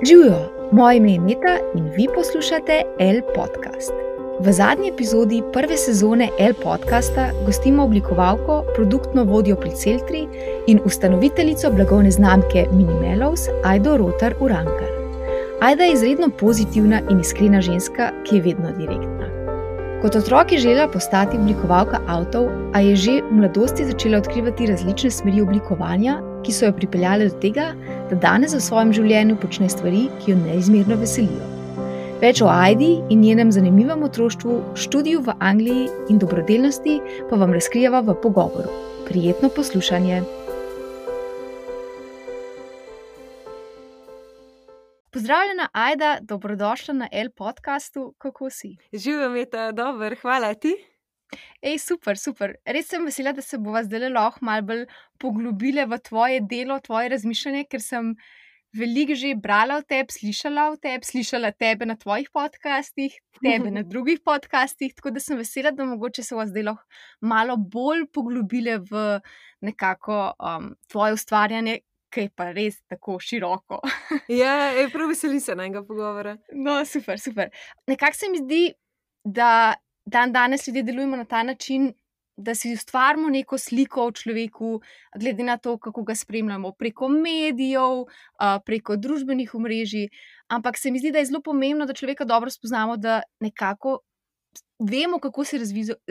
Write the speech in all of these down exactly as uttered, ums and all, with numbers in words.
Živijo, moje ime je Meta in vi poslušate L podcast. V zadnji epizodi prve sezone L podcasta gostimo oblikovalko, produktno vodjo pri Celtri in ustanoviteljico blagovne znamke Minimelows Ajdo Rotar Urankar. Ajda je izredno pozitivna in iskrena ženska, ki je vedno direktna. Kot otrok je želela postati oblikovalka avtov, a je že v mladosti začela odkrivati različne smeri oblikovanja, ki so jo pripeljale do tega, da danes v svojem življenju počne stvari, ki jo neizmerno veselijo. Več o Ajdi in njenem zanimivem otroštvu, študiju v Angliji in dobrodelnosti pa vam razkrijeva v pogovoru. Prijetno poslušanje. Pozdravljena Ajda, dobrodošla na L podcastu, kako si? Živijo, Meta, dober, hvala ti. Ej, super, super. Res sem vesela, da se bova zdaj lahko malo bolj poglobile v tvoje delo, tvoje razmišljanje, ker sem veliko že brala o tebi, slišala o tebi, slišala tebe na tvojih podcastih, tebe na drugih podcastih, tako da sem vesela, da mogoče se bova zdaj lahko malo bolj poglobile v nekako um, tvoje ustvarjanje, ki je pa res tako široko. Ja, je prav veselim se najnega pogovora. No, super, super. Nekako se mi zdi, da dan danes ljudje delujemo na ta način, da si ustvarimo neko sliko o človeku, glede na to, kako ga spremljamo preko medijev, preko družbenih omrežij, ampak se mi zdi, da je zelo pomembno, da človeka dobro spoznamo, da nekako vemo, kako se je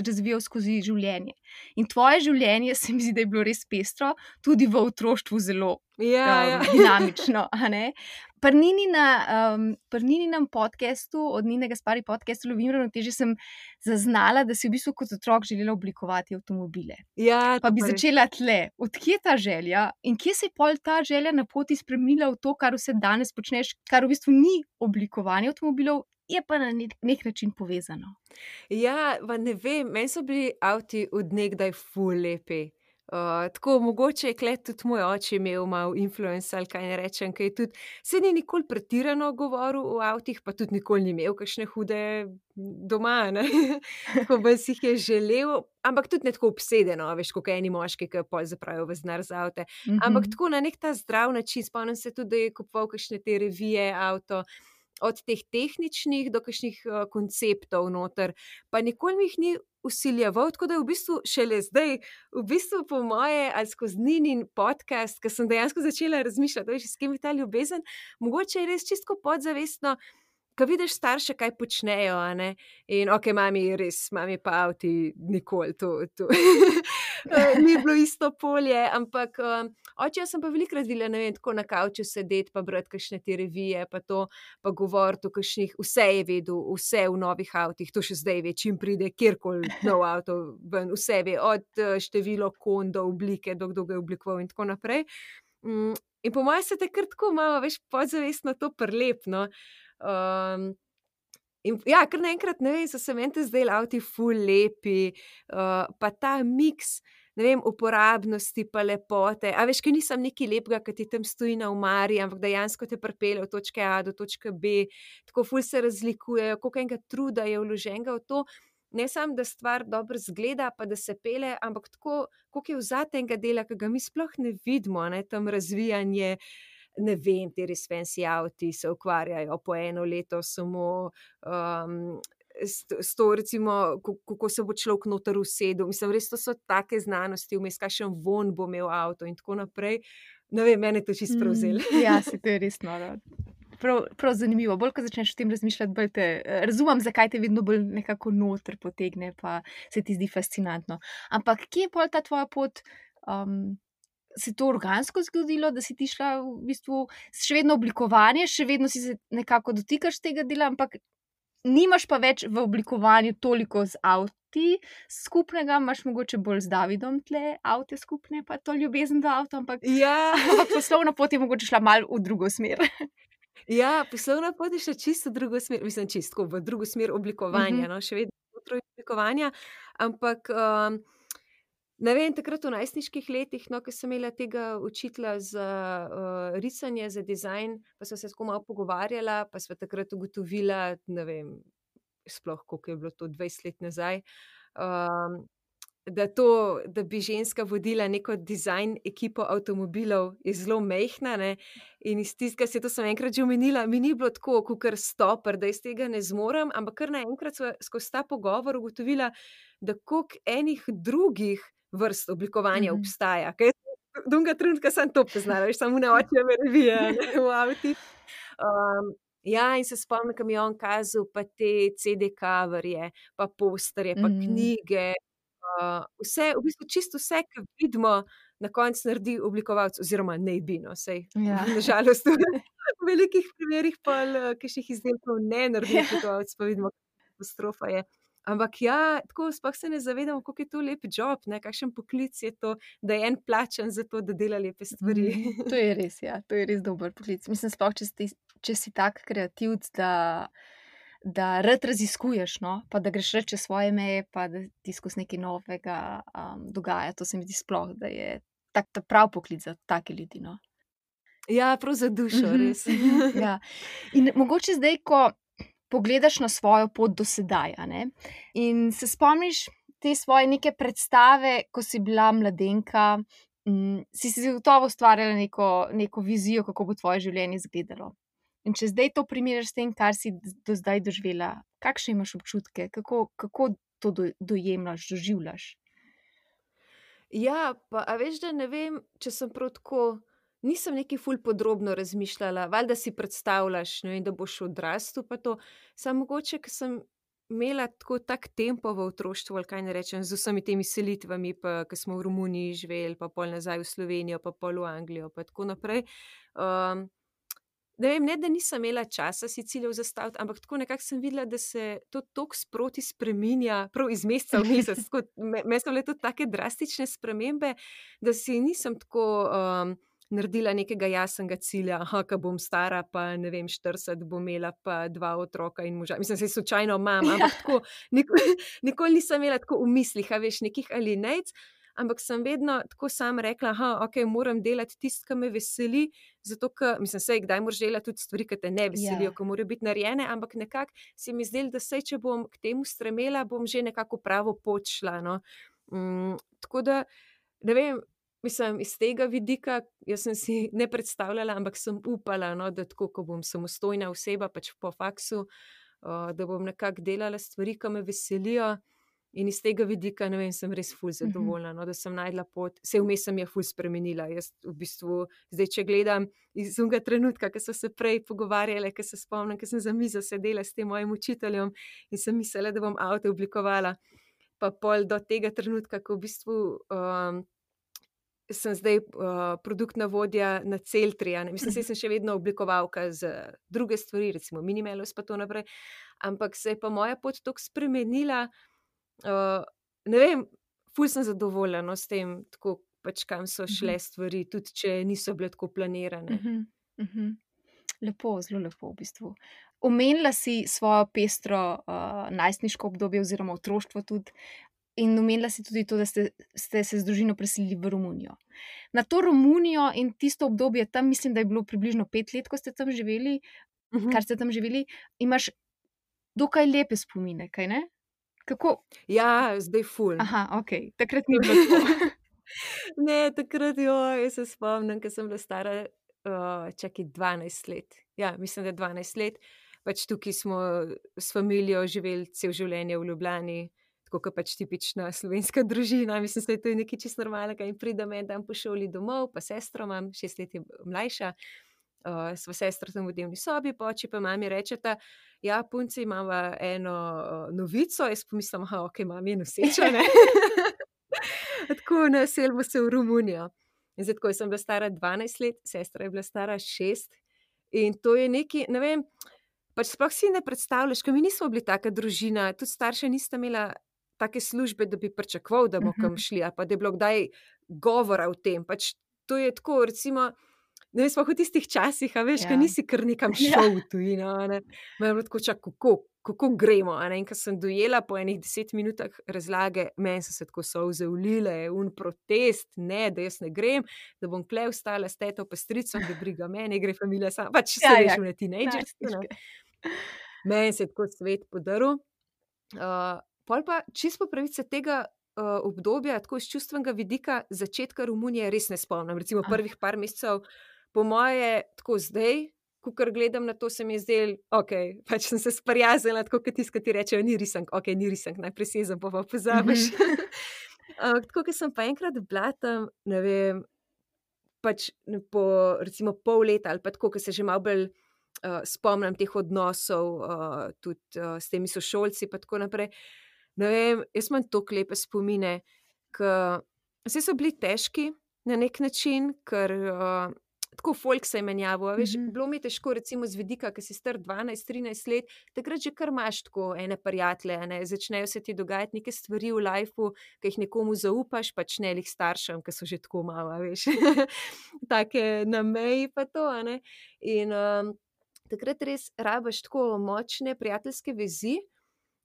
razvijal skozi življenje. In tvoje življenje se mi zdi, da je bilo res pestro, tudi v otroštvu zelo Ja, um, ja. dinamično, a ne? Pri Ninina, um, pri Nininem podcastu, od Ninega Spari podcastu Lovim ravnotežje, sem zaznala, da si v bistvu kot otrok želela oblikovati avtomobile. Ja, Pa to bi res. začela tle. Odkje ta želja in kje se je pol ta želja na poti spremenila v to, kar vse danes počneš, kar v bistvu ni oblikovanje avtomobilov, je pa na nek, nek način povezano. Ja, pa ne vem, meni so bili avti od nekdaj ful lepi. Uh, tako mogoče je klet tudi moj oče imel malo influence ali kaj ne rečem, ker je tudi, se ni nikoli pretirano govoril o avtih, pa tudi nikoli ni imel kakšne hude doma, ne, tako bolj si jih je želel, ampak tudi ne tako obsedeno, veš, kot eni moški, ki pol zapravijo ves denar za avte, ampak tako na nek ta zdrav način. Spomnim se tudi, da je kupoval kakšne te revije avto, od teh tehničnih do kakšnih uh, konceptov noter, pa nikoli mi jih ni vsiljeval, tako da je v bistvu šele zdaj, v bistvu po moje, ali skozi Ninin podcast, ker sem dejansko začela razmišljati, veš, s kim je ta ljubezen, mogoče je res čisto podzavestno, ko vidiš starše, kaj počnejo, a ne, in okej, mami, res, mami pa avti nikoli, to, to ni bilo isto polje, ampak um, oče, jaz sem pa velikokrat videla, ne vem, tako na kavču sedeti, pa brati kakšne te revije, pa to, pa govoriti o kakšnih, vse je vedel, vse v novih avtih, to še zdaj ve, čim pride kjerkoli nov avto ven, vse ve, od uh, število kon do oblike, do kdo ga je oblikoval in tako naprej. Mm, in po mojem se te kar tako malo, veš, podzavestno to prelep, no. Um, in ja, kar naenkrat, ne vem, so se meni te zdaj avti ful lepi, uh, pa ta miks, ne vem, uporabnosti pa lepote, a veš, ker nisem nekaj lepega, ki ti tam stoji na omari, ampak dejansko te pripelje od točke A do točke B, tako ful se razlikujejo, koliko enega truda je vloženega v to, ne samo, da stvar dobro zgleda, pa da se pele, ampak tako, koliko je vzatenega dela, ki ga mi sploh ne vidimo, ne, tam razvijanje, ne vem, te res fancy avti se ukvarjajo po eno leto samo um, s, s to, recimo, kako se bo človek noter usedel. Mislim, res to so take znanosti, vmes kakšen von bo imel avto in tako naprej. Ne vem, mene to čisto prevzel. Mm, ja, se to je res noro. Prav, prav zanimivo. Bolj, ko začneš o tem razmišljati, bolj te razumem, zakaj te vedno bolj nekako noter potegne, pa se ti zdi fascinantno. Ampak kje je pol ta tvoja pot? Um, se je to organsko zgodilo, da si ti šla v bistvu še vedno oblikovanje, še vedno si se nekako dotikaš tega dela, ampak nimaš pa več v oblikovanju toliko z avti skupnega, imaš mogoče bolj z Davidom tle avte skupne, pa to ljubezen do avto, ampak, Ja, ampak poslovna pot je mogoče šla malo v drugo smer. ja, poslovna pot je šla čisto v drugo smer, mislim, čisto v drugo smer oblikovanja, Mhm. no, še vedno znotraj oblikovanja, ampak um, ne vem, takrat v najstniških letih, no, ko sem imela tega učitelja za uh, risanje, za dizajn, pa sva se tako malo pogovarjala, pa sva takrat ugotovila, ne vem, sploh koliko je bilo to dvajset let nazaj, um, da, to, da bi ženska vodila neko dizajn ekipo avtomobilov, je zelo majhna. Ne? In iz tistega, se to sem enkrat že omenila, mi ni bilo tako, kot stopar, da iz tega ne zmorem, ampak kar naenkrat sva skozi ta pogovor ugotovila, da koliko enih drugih vrst oblikovanja Mhm. obstaja. Kaj jaz drugega trenutka sem to poznala, veš, samo na očeve revije v avtih. Um, ja, in se spomnim, ko mi je on kazal pa te C D coverje, pa posterje, pa Mhm. knjige, uh, vse, v bistvu čisto vse, kar vidimo, na koncu naredi oblikovalec, oziroma naj bi, no, saj Ja. na žalost v velikih primerih pol kakšnih izdelkov ne naredi Ja. oblikovalec, pa vidimo, kakšna katastrofa je. Ampak ja, tako sploh se ne zavedamo, koliko je to lep job, ne, kakšen poklic je to, da je en plačan za to, da dela lepe stvari. Mhm. To je res, ja, to je res dober poklic. Mislim, sploh, če si, če si tak kreativec, da, da rad raziskuješ, no, pa da greš rad čez svoje meje, pa da ti skozi nekaj novega um, dogaja. To se mi zdi sploh, da je tak ta prav poklic za take ljudi, no. Ja, prav za dušo, Mhm, res. mhm, ja. In mogoče zdaj, ko pogledaš na svojo pot do sedaj, a ne, in se spomniš te svoje neke predstave, ko si bila mladenka, mm, si si gotovo ustvarjala neko, neko vizijo, kako bo tvoje življenje izgledalo. In če zdaj to primerjaš s tem, kar si do zdaj doživela, kakšne imaš občutke, kako, kako to do, dojemljaš, doživljaš? Ja, pa a veš, da ne vem, če sem prav tako, nisem nekaj ful podrobno razmišljala, valjda si predstavljaš, ne vem, da boš odrastel pa to, samo mogoče, ker sem imela tako tak tempo v otroštvu, ali kaj ne rečem, z vsemi temi selitvami, pa ko smo v Romuniji živeli, pa pol nazaj v Slovenijo, pa pol v Anglijo, pa tako naprej. Um, ne vem, ne, da nisem imela časa si ciljev zastaviti, ampak tako nekako sem videla, da se to toliko sproti spreminja, prav iz meseca v mesec. Tako, me, me so bile tudi take drastične spremembe, da si nisem tako um, naredila nekega jasnega cilja, aha, ko bom stara, pa ne vem, štirideset bom imela pa dva otroka in moža. Mislim, se slučajno imam, ampak tako, nikoli, nikoli nisem imela tako v mislih, a veš, nekih alinejc, ampak sem vedno tako sam rekla, aha, ok, moram delati tisto, kar me veseli, zato, ker, mislim, sej, kdaj moraš delati tudi stvari, ki te ne veselijo, Ja. ki morajo biti narejene, ampak nekako se mi zdelo, da sej, če bom k temu stremela, bom že nekako v pravo pot šla, no. Mm, tako da, ne vem, mislim, iz tega vidika, jaz sem si ne predstavljala, ampak sem upala, no, da tako, ko bom samostojna oseba, pač po faksu, uh, da bom nekako delala stvari, ki me veselijo. In iz tega vidika, ne vem, sem res ful zadovoljna, no, da sem našla pot. Saj vmes sem je ful spremenila. Jaz v bistvu, zdaj, če gledam iz unega trenutka, ko so se prej pogovarjale, ko se spomnim, ko sem za mizo sedela s tem mojim učiteljem in sem mislila, da bom avto oblikovala, pa pol do tega trenutka, ko v bistvu um, sem zdaj uh, produktna vodja na Celtri, a ne. Mislim, saj sem še vedno oblikovalka za druge stvari, recimo Minimelos pa to naprej, ampak se je pa moja pot toliko spremenila. Uh, ne vem, ful sem zadovoljna, no, s tem, tako pač kam so šle stvari, tudi če niso bile tako planirane. Mhm, mhm. Lepo, zelo lepo v bistvu. Omenila si svojo pestro uh, najstniško obdobje oziroma otroštvo tudi in omenila si tudi to, da ste, ste se z družino preselili v Romunijo. Na to Romunijo in tisto obdobje tam, mislim, da je bilo približno pet let, ko ste tam živeli, Mhm. kar ste tam živeli, imaš dokaj lepe spomine, kaj ne? Kako? Ja, zdaj ful. Aha, ok, takrat ni bilo tako. Ne, takrat, joj, jaz se spomnim, ko sem bila stara, uh, čakaj, dvanajst let. Ja, mislim, da dvanajst let. Pač tukaj smo s familijo živeli cel življenje v Ljubljani, tako kot pač tipična slovenska družina. Mislim, da je to nekaj čisto normalnega in pridem en dan po šoli domov, pa sestro imam, šest let je mlajša. Uh, sva sestra tam v dnevni sobi, pa oči pa mami rečeta, ja, punci, imava eno uh, novico. Jaz pomislim, aha, ok, mami je noseča, ne. Tako, naselimo se v Romunijo. In zdaj, tako, jaz sem bila stara dvanajst let, sestra je bila stara šest in to je nekaj, ne vem, pač sploh si ne predstavljaš, ker mi nismo bili taka družina, tudi starša nista imela take službe, da bi pričakoval, da bomo kam šli, ali pa da je bilo kdaj govora o tem. Pač to je tako, recimo, ne vem, sploh v tistih časih, a veš, Ja. ko nisi kar nekam šel v tujino, a ne. Me je bilo tako, čak, kako, kako gremo, a ne. In ko sem dojela po enih deset minutah razlage, meni so se tako solze ulile, un protest, ne, da jaz ne grem, da bom tule ostala s teto pa stricem, da briga mene, gre familija sama. Pač se Ja, veš, ja, one teenagerske, ne. najstniške. Meni se je tako svet podaril. Uh, pol pa čisto po pravici tega uh, obdobja, tako iz čustvenega vidika, začetka Romunije res ne spomnim. Recimo Ah. prvih par mesecev, po moje, tako zdaj, ko gledam na to, se mi je zdelo, ok, pač sem se sprijaznila, tako kot tisti, ki ti rečejo, ni risank, ok, ni risank, najprej sezam, pa pa pozabiš. Mhm. Uh, tako, ker sem pa enkrat bila tam, ne vem, pač n- po recimo pol leta ali pa tako, ker se že malo bolj uh, spomnim teh odnosov, uh, tudi uh, s temi sošolci, pa tako naprej. Ne vem, jaz imam toliko lepe spomine, ker vse so bili težki na nek način, ker uh, tako folk se je menjavo. a Veš, Mhm. bilo mi je težko, recimo z vidika, ker si star dvanajst trinajst let, takrat že kar imaš tako ene prijatelje, a ne, začnejo se ti dogajati neke stvari v lifeu, ki jih nekomu zaupaš, pač ne lih staršem, ki so že tako malo, a veš, take na meji pa to, a ne. In um, takrat res rabiš tako močne prijateljske vezi.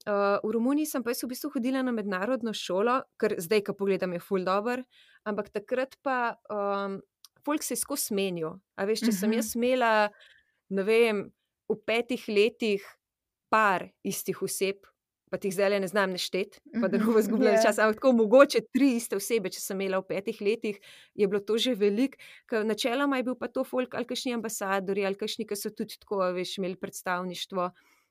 Uh, v Romuniji sem pa jaz v bistvu hodila na mednarodno šolo, ker zdaj, ko pogledam, je ful dobr, ampak takrat pa um, folk se je skozi menil. A veš, če sem Mhm. jaz imela, ne vem, v petih letih par istih oseb, pa ti jih zdaj ne znam neštet, pa da ne Mhm. bomo izgubljali Ja. čas, ampak tako mogoče tri iste osebe, če sem imela v petih letih, je bilo to že veliko, ker načeloma je bil pa to folk ali kakšni ambasadorji ali kakšni, ki so tudi tako, a veš, imeli predstavništvo,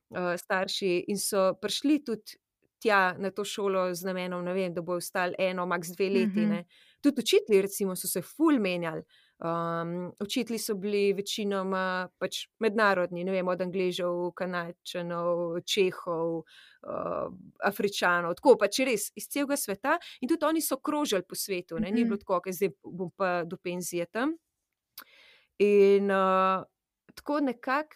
uh, starši in so prišli tudi tja na to šolo z namenom, ne vem, da bojo ostali eno, maks dve leti, Mhm. ne. Tudi učitelji recimo so se ful menjali. Um, učitelji so bili večinoma pač mednarodni, ne vem, od Angležev, Kanadčanov, Čehov, uh, Afričanov, tako pač res iz celega sveta in tudi oni so krožili po svetu, ne, ni Mhm. bilo tako, ker zdaj bom pa do penzije tam. In uh, tako nekako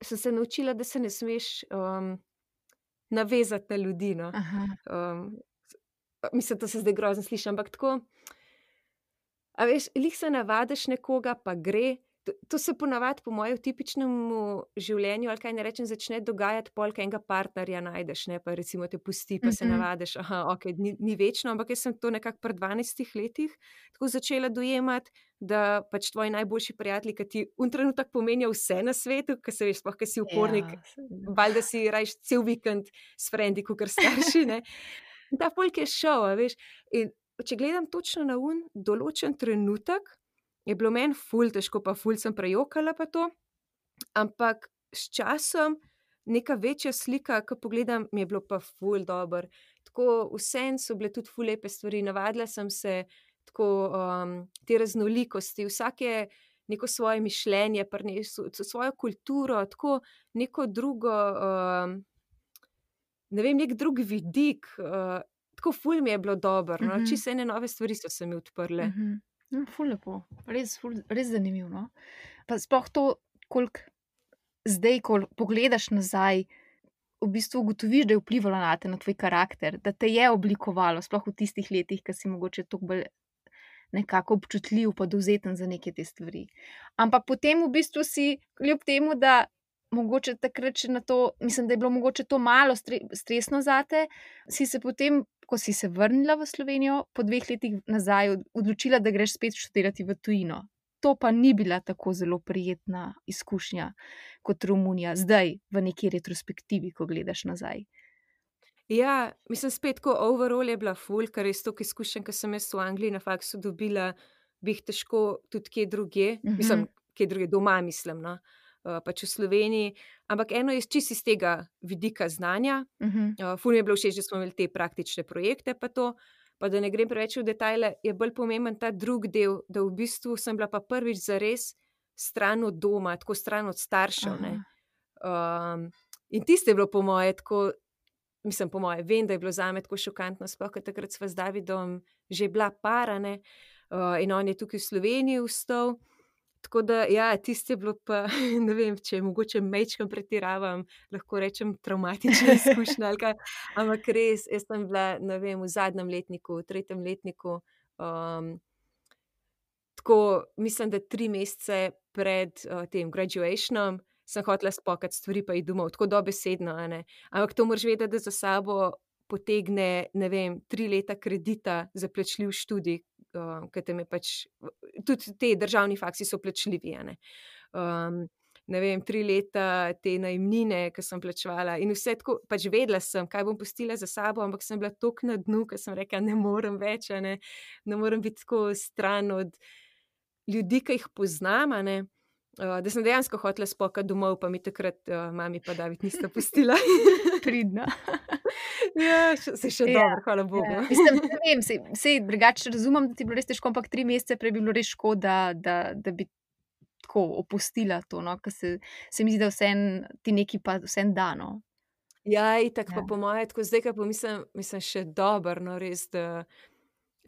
sem se naučila, da se ne smeš um, navezati na ljudi. No. Aha. Um, mislim, da se zdaj grozno sliši, ampak tako. A veš, lih se navadiš nekoga, pa gre. To, to se ponavadi, po mojem, v tipičnem življenju, ali kaj ne rečem, začne dogajati, polk enega partnerja najdeš, ne, pa recimo te pusti, pa se Mhm. navadiš, aha, ok, ni, ni večno, ampak jaz sem to nekako pri dvanajstih letih tako začela dojemati, da pač tvoji najboljši prijatelji, ki ti un trenutek pomenijo vse na svetu, ker se veš, sploh, ker si upornik, Ja, seveda. valjda si rajš cel vikend s frendi, kakor starši, ne. In ta folk je šel, a veš. In če gledam točno na un določen trenutek, je bilo meni ful težko, pa ful sem prejokala pa to, ampak s časom neka večja slika, ko pogledam, mi je bilo pa ful dobro. Tako vseeno so bile tudi ful lepe stvari, navadila sem se tako um, te raznolikosti, vsak je neko svoje mišljenje prinesel, svojo kulturo, tako neko drugo, um, ne vem, nek drug vidik, uh, tako ful mi je bilo dobro, no? Mhm. Čisto ene nove stvari so se mi odprle. Mhm. No, ful lepo. Res, ful, res zanimivo, no. Pa sploh to, koliko zdaj, ko pogledaš nazaj, v bistvu ugotoviš, da je vplivalo na te, na tvoj karakter, da te je oblikovalo, sploh v tistih letih, ko si mogoče toliko bolj nekako občutljiv pa dovzeten za neke te stvari. Ampak potem v bistvu si, kljub temu, da mogoče takrat še na to, mislim, da je bilo mogoče to malo stre, stresno zate, si se potem, ko si se vrnila v Slovenijo, po dveh letih nazaj od- odločila, da greš spet študirati v tujino. To pa ni bila tako zelo prijetna izkušnja kot Romunija, zdaj v neki retrospektivi, ko gledaš nazaj. Ja, mislim, spet tako overall je bila ful, ker res toliko izkušenj, ki sem jaz v Angliji na faksu dobila, bi jih težko tudi kje druge, Mhm. mislim, kje druge doma, mislim, no, uh, pač v Sloveniji. Ampak eno je čisto iz tega vidika znanja. Mhm. Uh, ful mi je bilo všeč, da smo imeli te praktične projekte, pa to. Pa da ne grem preveč v detajle, je bolj pomemben ta drugi del, da v bistvu sem bila pa prvič zares stran od doma, tako stran od staršev. Ne. Aha. Um, in tiste je bilo po moje tako, mislim, po moje, vem, da je bilo zame tako šokantno, sploh, ker takrat sva z Davidom že bila parane uh, in on je tukaj v Sloveniji vstal. Tako da, ja, tiste je bilo pa, ne vem, če mogoče mečkam pretiravam, lahko rečem travmatična izkušnja ali kaj, ampak res, jaz sem bila, ne vem, v zadnjem letniku, v tretjem letniku, um, tako, mislim, da tri mesece pred uh, tem graduationom sem hotela spokati stvari pa iti domov, tako dobesedno, a ne. Ampak to moraš vedeti, da za sabo potegne, ne vem, tri leta kredita za plačljiv študij, uh, ker tam je pač, tudi te državni faksi so plačljivi, a ne. Um, ne vem, tri leta te najemnine, ki sem plačevala in vse tako, pač vedela sem, kaj bom pustila za sabo, ampak sem bila toliko na dnu, ker sem rekla, ne morem več, a ne, ne morem biti tako stran od ljudi, ki jih poznam, a ne. Uh, da sem dejansko hotela spokati domov, pa mi takrat uh, mami pa David nista pustila. Pridna. Ja, še, se še Ja, dobro, hvala Bogu. Ja. Mislim, ne vem, sej, sej drugače razumem, da ti je bilo res težko, ampak tri mesece prej bi bilo res škoda, da, da bi tako opustila to, no, ker se, se mi zdi, da vsem ti neki pa vsem da, no. Ja, itak, Ja. pa po moje, tako zdaj, ko pa mislim, mislim še dobro, no, res, da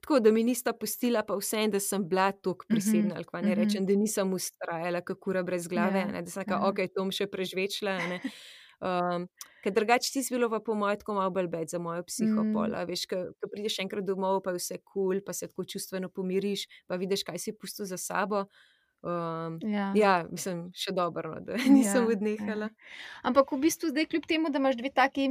tako, da mi nista pustila, pa vsem, da sem bila toliko prisebna, ali kva ne mhm. rečem, da nisem vztrajala, kako kura brez glave, Ja, a ne, da sem ja. rekla, okej, to bom še prežvečila, a ne. Um, ker drugače tisto bilo pa po moje tako malo bolj bed za mojo psiho Mm. pol, a veš, ko ko prideš enkrat domov, pa je vse kul, pa se tako čustveno pomiriš, pa vidiš, kaj si pustil za sabo. Um, Ja. ja, mislim, še dobro, no, da nisem Ja, odnehala. ja. Ampak v bistvu zdaj, kljub temu, da imaš dve taki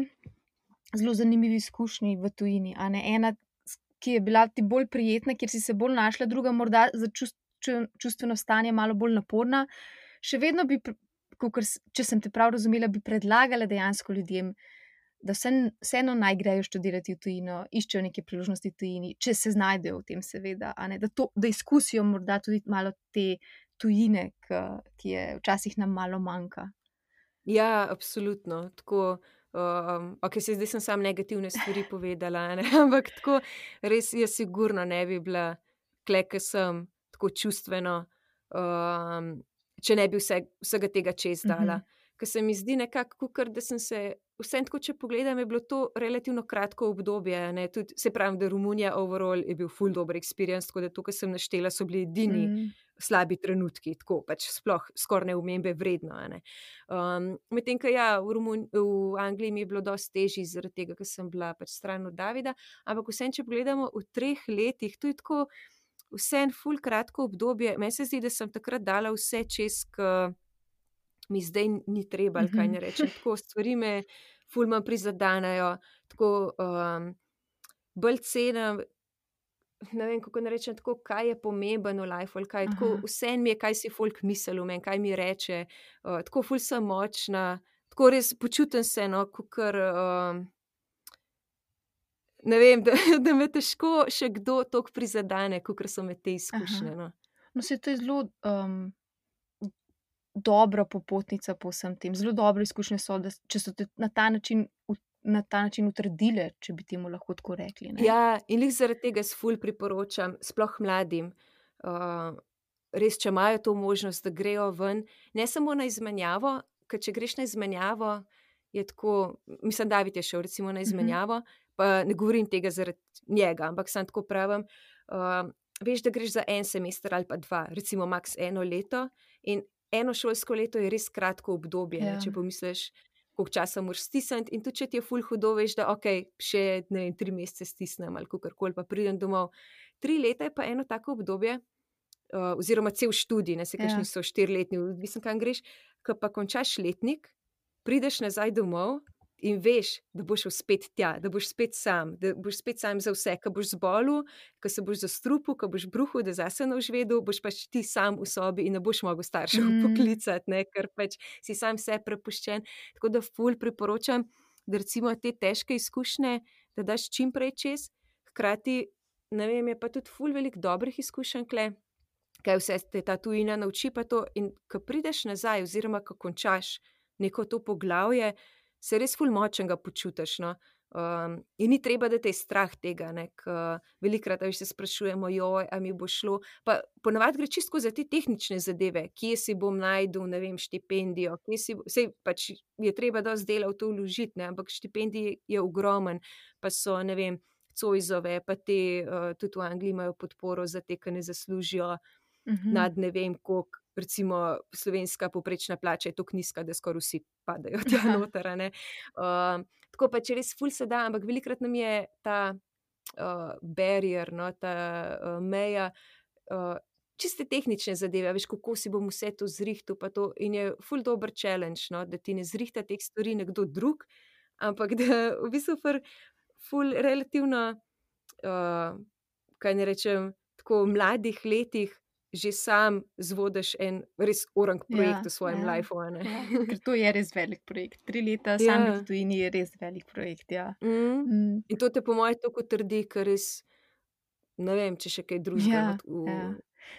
zelo zanimivi izkušnji v tujini, a ne, ena, s- ki je bila ti bolj prijetna, kjer si se bolj našla, druga morda za čust, ču- čustveno stanje malo bolj naporna, še vedno bi, pr- kakor, s- če sem te prav razumela, bi predlagala dejansko ljudem, da vse- vseeno naj grejo študirati v tujino, iščejo neke priložnosti v tujini, če se znajdejo v tem, seveda, a ne, da, to, da izkusijo morda tudi malo te tujine, ki, ki je včasih nam malo manjka. Ja, absolutno. Tako, um, ok, se zdaj sem samo negativne stvari povedala, a ne? Ampak tako, res jaz sigurno ne bi bila tle, ke sem, tako čustveno, um, če ne bi vse, vsega tega čez dala. Mhm. Ker se mi zdi nekako, kakor da sem se, vseeno tako, če pogledam, je bilo to relativno kratko obdobje, a ne, tudi, se pravim, da Romunija overall je bil ful dober experience, tako da to, kar sem naštela, so bili edini Mm. slabi trenutki, tako pač sploh skoraj neomembe vredno, a ne. Um, medtem, ko ja, v, Romun v Angliji mi je bilo dosti težje zaradi tega, ker sem bila pač stran od Davida, ampak vseeno, če pogledamo v treh letih, to je tako vseeno ful kratko obdobje. Meni se zdi, da sem takrat dala vse čez, ke mi zdaj ni treba, ali kaj Mhm. ne rečem. Tako stvari me ful manj prizadanejo, tako um, bolj cenim, ne vem, kako naj rečem, tako, kaj je pomembno v lifeu ali kaj, tako Aha. vseeno mi je, kaj si folk misli o meni, kaj mi reče, uh, tako ful sem močna, tako res počutim se, no, kakor, um, ne vem, da, da me težko še kdo toliko prizadene, kakor so me te izkušnje, no. No, saj to je zelo um, dobra popotnica po vsem tem. Zelo dobre izkušnje so, da, s- če so te na ta način, ut- na ta način utrdile, če bi temu lahko tako rekli. Ne? Ja, in glih zaradi tega jaz ful priporočam, sploh mladim, uh, res, če imajo to možnost, da grejo ven, ne samo na izmenjavo, ker če greš na izmenjavo, je tako, mislim, David je šel recimo na Mhm. izmenjavo, pa ne govorim tega zaradi njega, ampak sam tako pravim, uh, veš, da greš za en semester ali pa dva, recimo maks eno leto, in eno šolsko leto je res kratko obdobje, ne, Ja. če pomisliš, koliko časa moraš stisniti, in tudi če ti je ful hudo, veš, da ok, še ne vem, tri mesece stisnem ali kakorkoli, pa pridem domov. Tri leta je pa eno tako obdobje, uh, oziroma cel študij, ne, se Ja. kakšni so štiriletni, odvisno kam greš, ko pa končaš letnik, prideš nazaj domov in veš, da boš šel spet tja, da boš spet sam, da boš spet sam za vse, ko boš zbolel, ko se boš zastrupil, ko boš bruhal, da zase ne boš vedel, boš pač ti sam v sobi in ne boš mogel staršev Mm. poklicati, ne, ker pač si sam sebi prepuščen. Tako da ful priporočam, da recimo te težke izkušnje, da daš čim prej čez, hkrati, ne vem, je pa tudi ful veliko dobrih izkušenj tule, kaj vse te ta tujina nauči, pa to, in ko prideš nazaj oziroma ko končaš neko to poglavje, se res ful močnega počutiš, no. Um, in ni treba, da te je strah tega, ne, ker velikokrat, a veš, se sprašujemo, joj, a mi bo šlo, pa ponavadi gre čisto za te tehnične zadeve, kje si bom našel, ne vem, štipendijo, kje si, saj pač je treba dosti dela v to vložiti, ne, ampak štipendij je ogromen, pa so, ne vem, Zoisove, pa te, uh, tudi v Angliji imajo podporo za te, ki ne zaslužijo Mhm. nad ne vem koliko, recimo slovenska povprečna plača je tako nizka, da skoraj vsi padajo tja Aha. noter, a ne. Um, tako pač res ful se da, ampak velikokrat nam je ta uh, barrier, no, ta uh, meja, uh, čiste tehnične zadeve, a veš, kako si bom vse to zrihtal, pa to, in je ful dober challenge, no, da ti ne zrihta teh stvari nekdo drug, ampak da v bistvu ful, ful relativno, uh, kaj ne rečem, tako v mladih letih že sam zvodiš en res orang projekt Ja, v svojem ja, lifeu, a ne. ja, ker to je res velik projekt. Tri leta sam biti Ja. v tujini je res velik projekt, ja. Mhm. Mm. In to te po moje toliko utrdi, ker res ne vem, če še kaj drugega, no, Ja, v ja.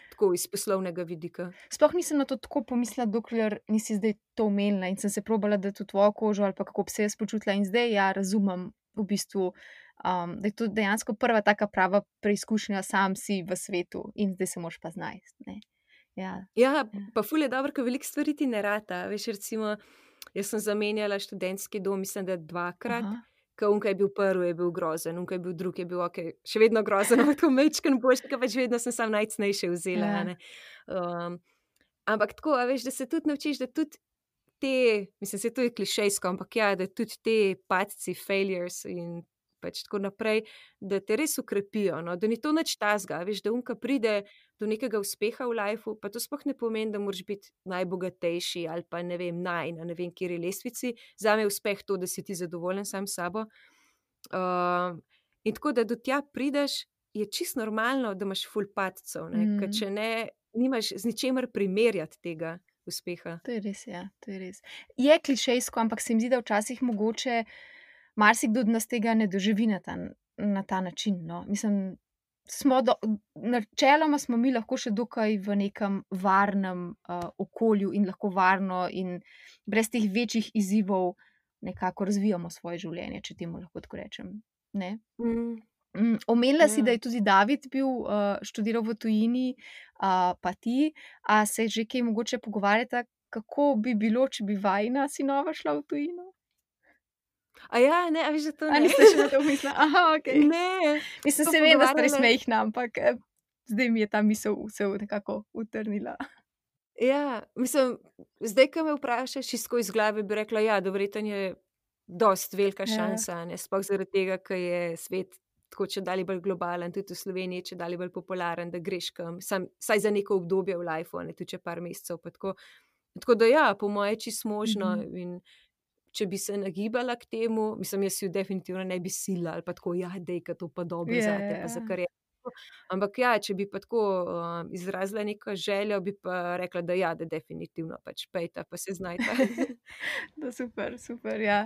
tako iz poslovnega vidika. Sploh nisem na to tako pomislila, dokler nisi zdaj to omenila in sem se probala dati v tvojo kožo ali pa kako bi se jaz počutila in zdaj ja razumem v bistvu, um, da je to dejansko prva taka prava preizkušnja, sam si v svetu in zdaj se moraš pa znajti, ne. Ja. Ja, Ja. pa ful je dobro, ker veliko stvari ti ne rata. Veš, recimo, jaz sem zamenjala študentski dom, mislim, da dvakrat, Aha. ke on, ke je bil prvi, je bil grozen, on, ke je bil drugi, je bil okej, še vedno grozen, ampak tako majčkeno boljše, ke pač vedno sem samo najcenejše vzela, a Ja. ne. Um, ampak tako, a veš, da se tudi naučiš, da tudi te, mislim, saj to je klišejsko, ampak ja, da tudi te padci, failures in pač tako naprej, da te res okrepijo, no, da ni to nič takega, a veš, da on, ke pride do nekega uspeha v lifeu, pa to sploh ne pomeni, da moraš biti najbogatejši ali pa ne vem, naj na ne vem kateri lestvici. Zame je uspeh to, da si ti zadovoljen sam s sabo. Um, in tako, da do tja prideš, je čisto normalno, da imaš ful padcev, ne, ker Mm. če ne, nimaš z ničemer primerjati tega uspeha. To je res, ja, to je res. Je klišejsko, ampak se mi zdi, da včasih mogoče marsikdo od nas tega ne doživi na ta na ta način, no. Mislim, smo do načeloma smo mi lahko še dokaj v nekem varnem, uh, okolju in lahko varno in brez teh večjih izzivov nekako razvijamo svoje življenje, če temu lahko tako rečem, ne. Mhm. Mm, omenila si, Ja. da je tudi David bil, uh, študiral v tujini, uh, pa ti. A se že kaj mogoče pogovarjata, kako bi bilo, če bi vajina sinova šla v tujino? Aja, ne, a veš, da to A ne. niste še na to mislila? Aha, okej. Ne, Mislim, to saj vem, da ste res pogovarjale. majhna, ampak, eh, zdaj mi je ta misel se nekako utrnila. Ja, mislim, zdaj, ke me vprašaš čisto tako iz glave, bi rekla, ja, da verjetno je dosti velika Ja. šansa, a ne, sploh zaradi tega, ke je svet tako čedalje bolj globalen, tudi v Sloveniji čedalje bolj popularen, da greš kam, samo vsaj za neko obdobje v lifeu, a ne, tudi če par mesecev pa tako. Tako da ja, po moje čisto možno Mhm. in če bi se nagibala k temu, mislim, jaz ju definitivno ne bi silila ali pa tako, ja, daj, ke to pa dobro Ja, zate pa za ja. kariero. Ampak ja, če bi pa tako, um, izrazila neko željo, bi pa rekla, da ja, da definitivno pač pojdita pa se znajta. No, super, super, ja.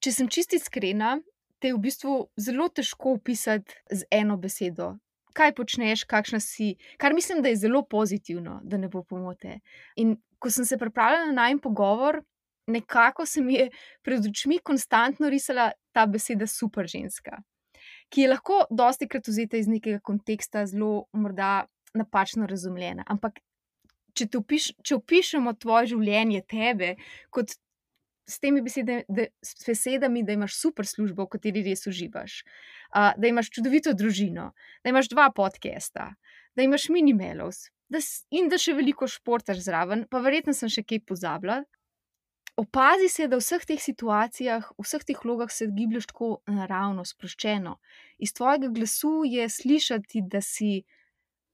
Če sem čisto iskrena, te je v bistvu zelo težko opisati z eno besedo. Kaj počneš, kakšna si, kar mislim, da je zelo pozitivno, da ne bo pomote. In ko sem se pripravljala na najin pogovor, nekako se mi je pred očmi konstantno risala ta beseda super ženska, ki je lahko dostikrat vzeta iz nekega konteksta zelo morda napačno razumljena, ampak če te če opišemo tvoje življenje, tebe, kot s temi besede da s besedami, da imaš super službo, v kateri res uživaš, uh, da imaš čudovito družino, da imaš dva podcasta, da imaš Minimalus, da in da še veliko športaš zraven, pa verjetno sem še kaj pozabila. Opazi se, da v vseh teh situacijah, v vseh teh vlogah se giblješ tako naravno, sproščeno. Iz tvojega glasu je slišati, da si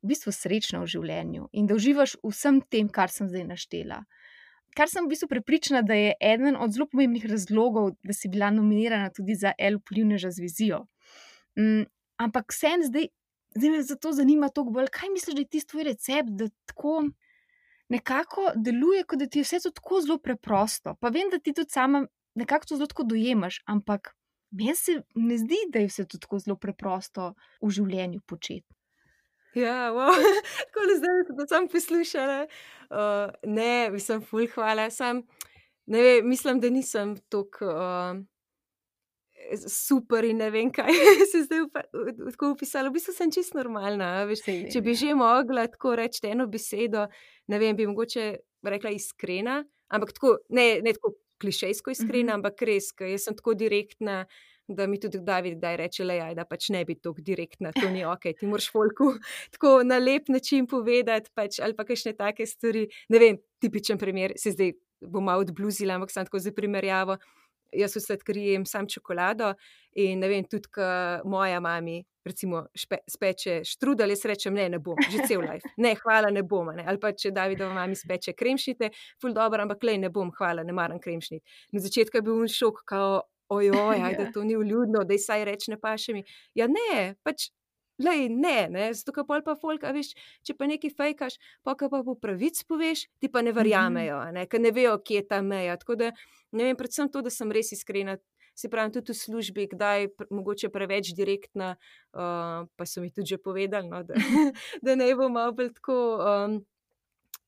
v bistvu srečna v življenju in da uživaš v vsem tem, kar sem zdaj naštela. Kar sem v bistvu prepričana, da je eden od zelo pomembnih razlogov, da si bila nominirana tudi za El vplivneža z vizijo. Mm, ampak vseeno zdaj, zdaj me zato zanima toliko bolj, kaj misliš, da je tisti tvoj recept, da tako nekako deluje, kot da ti je vse to tako zelo preprosto. Pa vem, da ti tudi sama nekako to zelo tako dojemaš, ampak meni se ne zdi, da je vse to tako zelo preprosto v življenju početi. Ja, takole zdaj, ko sem samo poslušala, uh, ne, mislim, ful hvala, samo ne vem, mislim, da nisem toliko, uh, super in ne vem kaj, se zdaj tako opisala, v bistvu sem čisto normalna, a veš. Saj vem, Če bi ja. že mogla tako reči eno besedo, ne vem, bi mogoče rekla iskrena, ampak tako, ne, ne tako klišejsko iskrena, Mhm. ampak res, ke jaz sem tako direktna, da mi tudi David kdaj reče, glej, ajda pač ne biti toliko direktna, to ni okej, ti moraš folku tako na lep način povedati pač ali pa kakšne take stvari, ne vem, tipičen primer, saj zdaj bom malo odbluzila, ampak samo tako za primerjavo. Jaz v sladkariji jem samo čokolado in ne vem, tudi ke moja mami recimo speče štrudelj, jaz rečem: "Ne, ne bom, že cel life, ne, hvala, ne bom, a ne." Ali pa če Davidova mami speče kremšnite, ful dobro, ampak glej, ne bom, hvala, ne maram kremšnit. Na začetku je bil on šok, kao, ojoj, ajde, Ja. to ni vljudno, daj vsaj reči, ne paše mi. Ja, ne, pač lej, ne, ne, zato ker pol pa folk, a veš, če pa nekaj fejkaš, pa ka pa po pravic poveš, ti pa ne verjamejo, a ne, ker ne vejo, kje je ta meja. Tako da, ne vem, predvsem to, da sem res iskrena, se pravim, tudi v službi, kdaj pr- mogoče preveč direktna, uh, pa so mi tudi že povedali, no, da, da ne bo malo bolj tako um,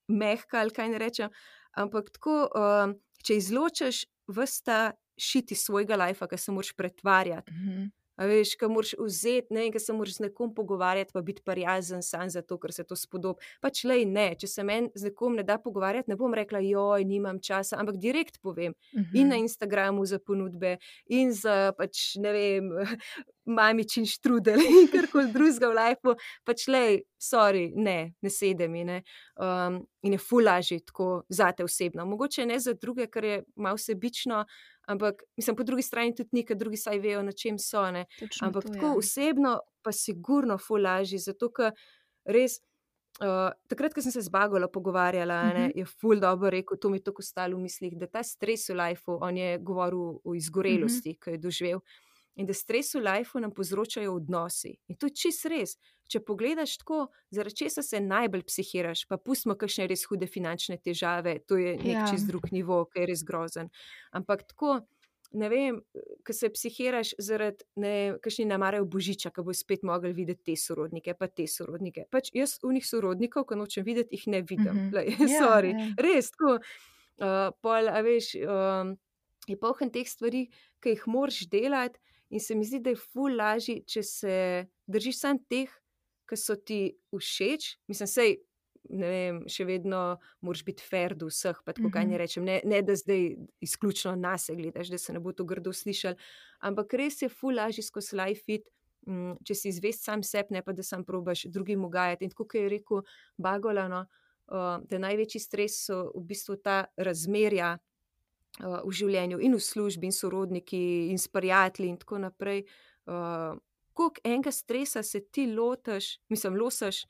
mehka ali kaj ne rečem, ampak tako, um, če izločiš ves ta šiti svojega lajfa, ki se moraš pretvarjati, Mhm. a veš, ki moraš vzeti, ne, ki se moraš z nekom pogovarjati, pa biti prijazen sam zato, ker se to spodobi. Pač lej, ne, če se meni z nekom ne da pogovarjati, ne bom rekla, joj, nimam časa, ampak direkt povem. In na Mhm. Instagramu za ponudbe, in za pač, ne vem, mamičin štrudel in karkoli drugega v lifeu, pač lej, sorry, ne, ne sede mi, ne. Um, in je ful lažje tako zate osebno. Mogoče ne za druge, ker je malo sebično, ampak mislim, po drugi strani tudi ni, ker drugi saj vejo, na čem so, ne. Točno Ampak to, tako ja. osebno pa sigurno ful lažje, zato ker res, uh, takrat, ko sem se z Bagolo pogovarjala, a ne, Mhm. je ful dobro rekel, to mi je tako ostalo v mislih, da ta stres v lifeu, on je govoril o izgorelosti, ki jo je doživel, in da stres v lifeu nam povzročajo odnosi. In to je čisto res. Če pogledaš tako, zaradi česa se najbolj psihiraš, pa pustimo kakšne res hude finančne težave, to je nek Ja. čist drug nivo, ki je res grozen. Ampak tako, ne vem, ko se psihiraš zaradi, ne vem, kakšni namarajo božiča, ko bo spet mogli videti te sorodnike, pa te sorodnike. Pač jaz unih sorodnikov, ko nočem videti, jih ne vidim. Mhm. Glej, Ja, sorry, ja. res tako. Uh, pol, a veš, um, je poln teh stvari, ki jih moraš delati, in se mi zdi, da je ful lažje, če se držiš samo teh, ki so ti všeč. Mislim, sej, ne vem, še vedno moraš biti fair do vseh, pa tako kaj Mhm. ne rečem, ne, ne da zdaj izključno nase gledaš, da se ne bo to grdo slišali, ampak res je ful lažje skozi life fit, mm, če si zvest sam sebi, ne pa da sam probaš drugim ugajati. In tako, kot je rekel Bagola, no, uh, da največji stres so v bistvu ta razmerja uh, v življenju in v službi in sorodniki in s prijatelji in tako naprej. Uh, koliko enega stresa se ti lotiš, mislim, losaš,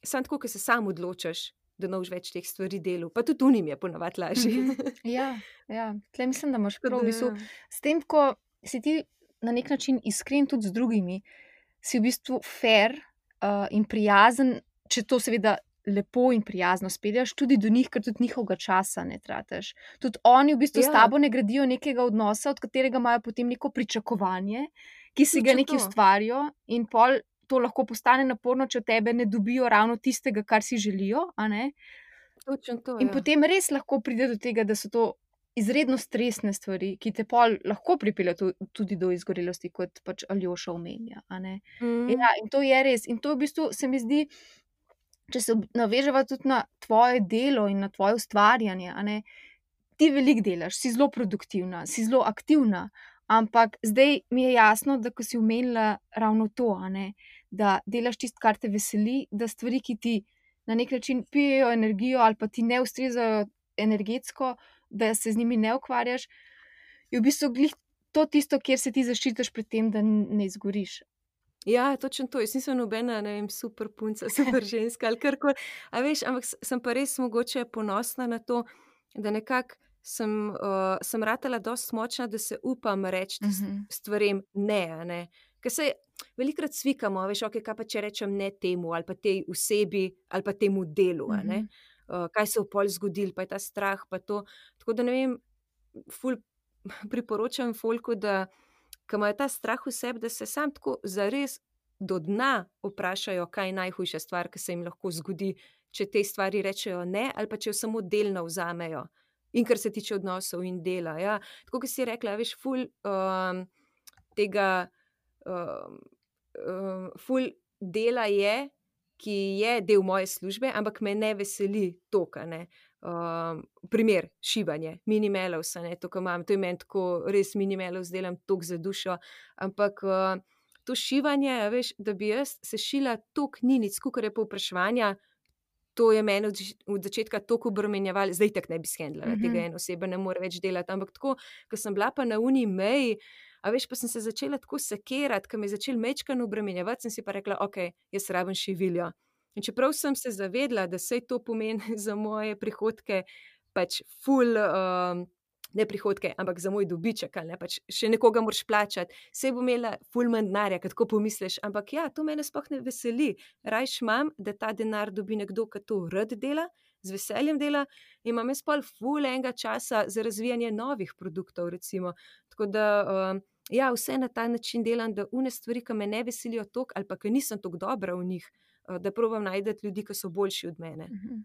samo tako, ker se sam odločiš, da ne boš več teh stvari delal. Pa tudi unim je ponavadi lažje. Mhm. Ja, ja. Tle mislim, da imaš Tako prav. V da, bistvu, ja. s tem, ko si ti na nek način iskren tudi z drugimi, si v bistvu fair uh, in prijazen, če to seveda lepo in prijazno spelješ tudi do njih, ker tudi njihovega časa ne tratiš. Tudi oni v bistvu s Ja, tabo ne gradijo nekega odnosa, od katerega imajo potem neko pričakovanje, ki si ga točno neki to. ustvarijo, in pol to lahko postane naporno, če od tebe ne dobijo ravno tistega, kar si želijo, a ne. Točno to, In ja. potem res lahko pride do tega, da so to izredno stresne stvari, ki te pol lahko pripeljejo tu- tudi do izgorelosti, kot pač Aljoša omenja, a ne. Mm, Ja, in to je res. In to v bistvu se mi zdi, če se ob- naveževa tudi na tvoje delo in na tvoje ustvarjanje, a ne, ti veliko delaš, si zelo produktivna, si zelo aktivna, ampak zdaj mi je jasno, da ko si omenila ravno to, a ne, da delaš tisto, kar te veseli, da stvari, ki ti na nek način pijejo energijo ali pa ti ne ustrezajo energetsko, da se z njimi ne ukvarjaš, je v bistvu glih to tisto, kjer se ti zaščitiš pred tem, da n- ne izgoriš. Ja, točno to. Jaz nisem nobena, ne vem, super punca, super ženska ali karkoli. A veš, ampak s- sem pa res mogoče ponosna na to, da nekako sem, uh, sem ratala dosti močna, da se upam reči Mhm. stvarem ne, a ne. Ker se velikokrat svikamo, a veš, ok, kaj pa če rečem ne temu ali pa tej osebi ali pa temu delu, a ne. Mhm. Uh, kaj se bo pol zgodilo, pa je ta strah, pa to. Tako da ne vem, ful priporočam folku, da ko imajo ta strah v sebi, da se sam tako zares do dna vprašajo, kaj je najhujša stvar, ki se jim lahko zgodi, če te stvari rečejo ne, ali pa če jo samo delno vzamejo. In kar se tiče odnosov in dela. Ja. Tako kot si rekla, veš, ful um, tega, um, um, ful dela je, ki je del moje službe, ampak me ne veseli toliko, a ne. Um, primer, šivanje, minimelovs, a ne, to, kar imam, to je meni tako, res minimelovs delam toliko za dušo, ampak uh, to šivanje, a veš, da bi jaz sešila toliko ninic, kakor je povpraševanja, to je meni od, zač- od začetka toliko obremenjevalo, zdaj tako ne bi shendlala, tega Mhm. ena oseba ne more več delati, ampak tako, ko sem bila pa na uni meji, a veš, pa sem se začela tako sekirati, ko me je začel mečkano obremenjevati, sem si pa rekla, ok, jaz rabim šiviljo. In čeprav sem se zavedla, da sej to pomeni za moje prihodke pač ful um, ne prihodke, ampak za moj dobiček, ali ne, pač še nekoga moraš plačati, saj bo imela ful manj denarja, kot tako pomisliš, ampak ja, to mene sploh ne veseli. Rajš imam, da ta denar dobi nekdo, ki to rad dela, z veseljem dela, in imam jaz pol ful enega časa za razvijanje novih produktov, recimo. Tako da, um, ja, vse na ta način delam, da une stvari, ki me ne veselijo toliko, ali pa ki nisem toliko dobra v njih, uh, da probam najti ljudi, ki so boljši od mene. Mhm.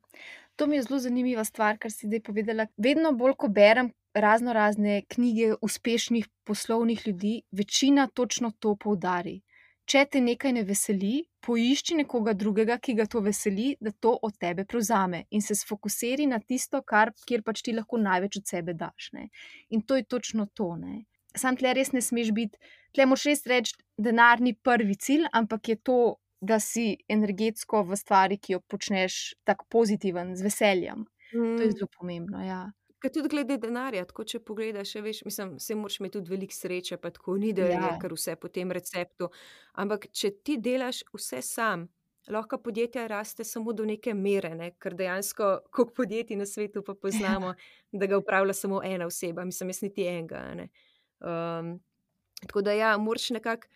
To mi je zelo zanimiva stvar, kar si zdaj povedala. Vedno bolj, ko berem razno razne knjige uspešnih poslovnih ljudi, večina točno to poudari. Če te nekaj ne veseli, poišči nekoga drugega, ki ga to veseli, da to od tebe prevzame in se sfokusiri na tisto, kar, kjer pač ti lahko največ od sebe daš. Ne? In to je točno to. Ne? Sam tle res ne smeš biti, tle moraš res reči, denar ni prvi cilj, ampak je to, da si energetsko v stvari, ki jo počneš, tako pozitiven, z veseljem. Mm. To je zelo pomembno, ja. Ker tudi glede denarja, tako če pogledaš, veš, mislim, se moraš imeti tudi veliko sreče, pa tako ni, da ja. je kar vse po tem receptu. Ampak če ti delaš vse sam, lahko podjetja raste samo do neke mere, ne? Ker dejansko, koliko podjetij na svetu pa poznamo, ja. da ga upravlja samo ena oseba, mislim, jaz niti enega. Ne? Um, tako da ja, moraš nekako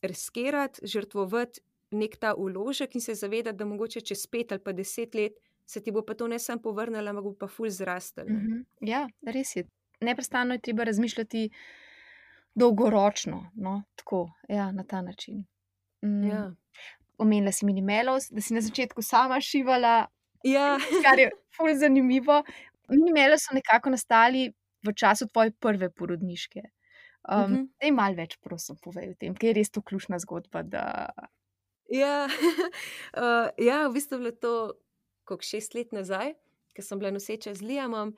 riskirati, žrtvovati nek ta vložek in se zavedati, da mogoče čez pet ali pa deset let se ti bo pa to ne samo povrnilo, ampak bo pa ful zrastel. Mm-hmm. Ja, res je. Neprestano je treba razmišljati dolgoročno, no, tako, ja, na ta način. Mm. Ja. Omenila si Minimelos, da si na začetku sama šivala, ja. kar je ful zanimivo. Minimelos so nekako nastali v času tvoje prve porodniške. Um, mm-hmm. Daj malo več, prosim, povej o tem, ker je res to ključna zgodba, da... Ja, uh, ja, v bistvu je bilo to koliko šest let nazaj, ker sem bila noseča z Liamom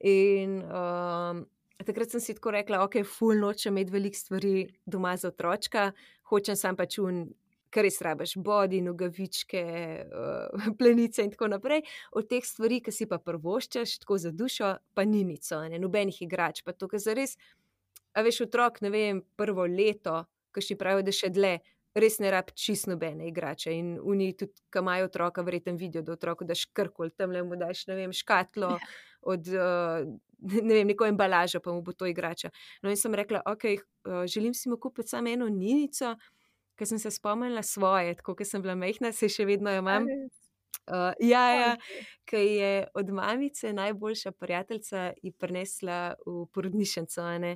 in um, takrat sem si tako rekla, ok, ful nočem imeti veliko stvari doma za otročka, hočem sam pač un, kar res rabiš, body, nogavičke, uh, plenice in tako naprej, od teh stvari, ki si pa prvoščaš, tako za dušo, pa ni nico, ne, nobenih igrač, pa to, ker zares, a veš, otrok, ne vem, prvo leto, ki še pravijo, da še dlje, res ne rab čist nobene igrače in oni tudi, ki imajo otroka, verjetno vidijo, da otroku daš karkoli, tamle mu daš, ne vem, škatlo od, uh, ne vem, neko embalažo, pa mu bo to igrača. No in sem rekla, ok, uh, želim si mu kupiti samo eno ninico, ker sem se spomnila svoje, tako, ker sem bila majhna, se še vedno jo imam. Uh, ja, ja, ker je od mamice najboljša prijateljica ji prinesla v porodnišnico, ne.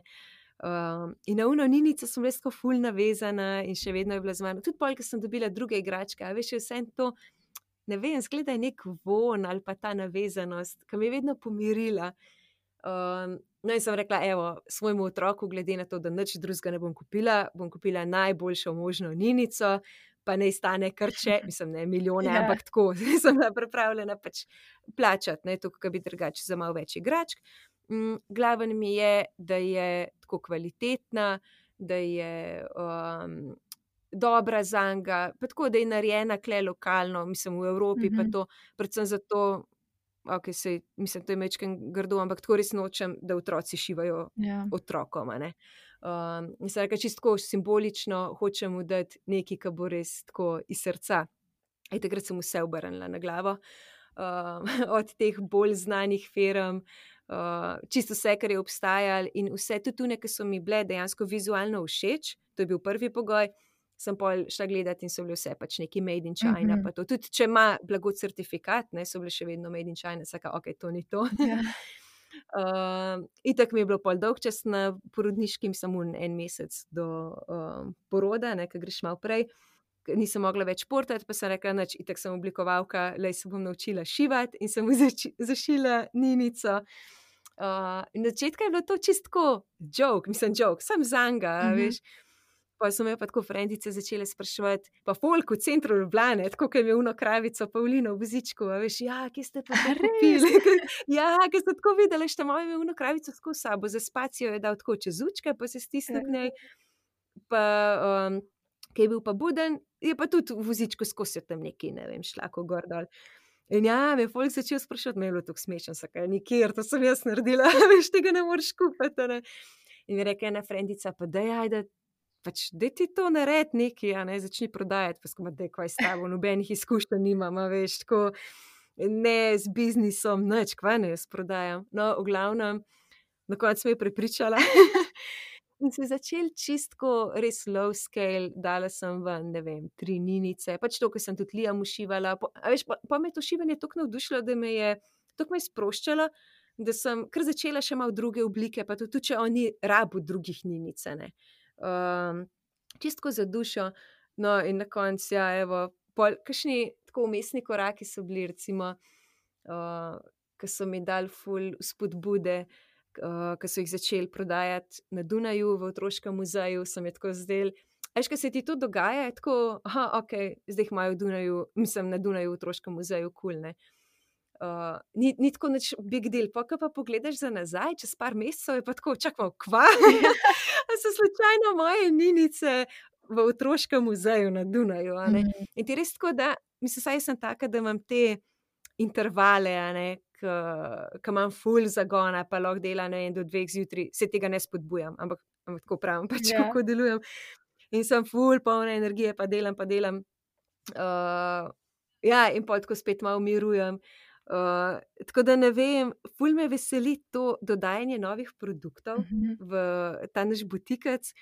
Um, in na uno ninico sem res tako ful navezana in še vedno je bila z mano. Tudi pol, ker sem dobila druge igračke, a veš, je vse to, ne vem, zgleda je nek von ali pa ta navezanost, ki me je vedno pomirila. Um, no in sem rekla, evo, svojemu otroku, glede na to, da nič drugega ne bom kupila, bom kupila najboljšo možno ninico, pa ne stane krče, mislim, ne milijone, yeah. ampak tako, sem bila pripravljena pač plačati, ne, to, kar bi drugače za malo več igračk. Mm, glaven mi je, da je tako kvalitetna, da je um, dobra zanga, pa tako, da je narejena kle lokalno, mislim, v Evropi, mm-hmm. pa to, predvsem zato, ok, sej, mislim, to je mečken grdo, ampak tako res nočem, da otroci šivajo yeah. otrokom, ne. Um, in se reka, čisto simbolično hočem mu dati nekaj, ki bo res tako iz srca. In takrat sem vse obrnila na glavo, um, od teh bolj znanih firm, Uh, čisto vse, kar je obstajalo in vse tudi tune, ki so mi bile dejansko vizualno všeč, to je bil prvi pogoj, sem pol šla gledati in so bile vse pač neki made in China, mm-hmm. pa to tudi, če ima blago certifikat, ne, so bile še vedno made in China, saka, ok, to ni to. Yeah. uh, itak mi je bilo pol dolg čas na porodniškim, samo en mesec do um, poroda, ne, ker greš malo prej. Nisem mogla več športati, pa sem rekla, nač, itak sem oblikovalka, lej se bom naučila šivati in sem mu zači, zašila ninico. Uh, na začetku je bilo to čistko joke, mislim joke, sam zanga, mm-hmm. veš. Pa so me pa tako frendice začele spraševati, pa folk v centru Ljubljane, tako kot je uno kravico Pavlino v vozičku, a veš, ja, kje ste pa to kupili? Ja, ker ste tako videli, šta moj je uno kravico tako sabo, za spacijo je dal tako čez učke, pa se stisne k njej, pa um, ki je bil pa buden, je pa tudi v vozičku skozi tam neki, ne vem, šlako gor dol. In ja, me je folk začel sprašati, me je bilo tako smešno, sakaj, nikjer, to sem jaz naredila, veš, tega ne moreš kupiti, ne. In mi reke ena frendica, pa daj, ajde, pač, daj ti to nared neki, a ne, začni prodajati, pa skoma, daj, kvaj s tabo, nobenih izkušenj nimam, a veš, tako, ne z biznisom, nič, kvaj ne jaz prodajam. No, v glavnem, na koncu me je prepričala. In se je začel čistko res low scale, dala sem ven, ne vem, tri ninice, pač to, ko sem tudi Liam ušivala. Po, a veš, pa, pa me je to šivanje tako navdušilo, da me je tako me je sproščalo, da sem kar začela še malo druge oblike, pa tudi, če on ni rabu drugih ninice, ne. Um, čistko za dušo, no in na koncu, ja, evo, pol, kakšni tako umestni koraki so bili, recimo, uh, ko so mi dali ful spodbude, Uh, ko so jih začeli prodajati na Dunaju v otroškem muzeju, sem je tako zdel. Veš, ko se ti to dogaja, je tako, aha, ok, zdaj jih imajo v Dunaju, mislim, na Dunaju v otroškem muzeju, kul, cool, ne. Uh, ni, ni tako nič big deal, pa ko pa pogledaš za nazaj, čez par mesecev je pa tako, čak malo, kva? A so slučajno moje ninice v otroškem muzeju na Dunaju, a ne. Mhm. In ti res tako, da, mislim, saj sem taka, da imam te intervale, a ne, ki imam ful zagona, pa lahko dela, ne vem, do dveh zjutraj, se tega ne spodbujam, ampak, ampak tako pravim, pač Ja. kako delujem. In sem ful polna energije, pa delam, pa delam. Uh, ja, in pol tako spet malo mirujem. Uh, tako da ne vem, ful me veseli to dodajanje novih produktov Mhm. v ta naš butikec,